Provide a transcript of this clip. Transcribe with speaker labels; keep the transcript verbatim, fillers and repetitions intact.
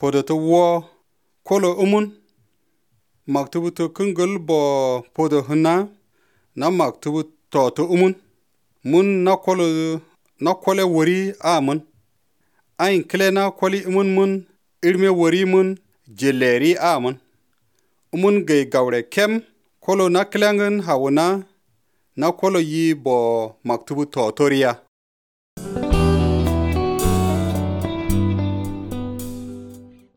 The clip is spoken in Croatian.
Speaker 1: podo to wo kolo umun maktubu to kungul bo podo huna na maktubu to to umun mun na kolo na kole wori amun ayin kile na koli umun mun irme wori mun jeleri amun umun gay gawre kem kolo na kilangen hawuna na kolo yi bo maktubu to toriya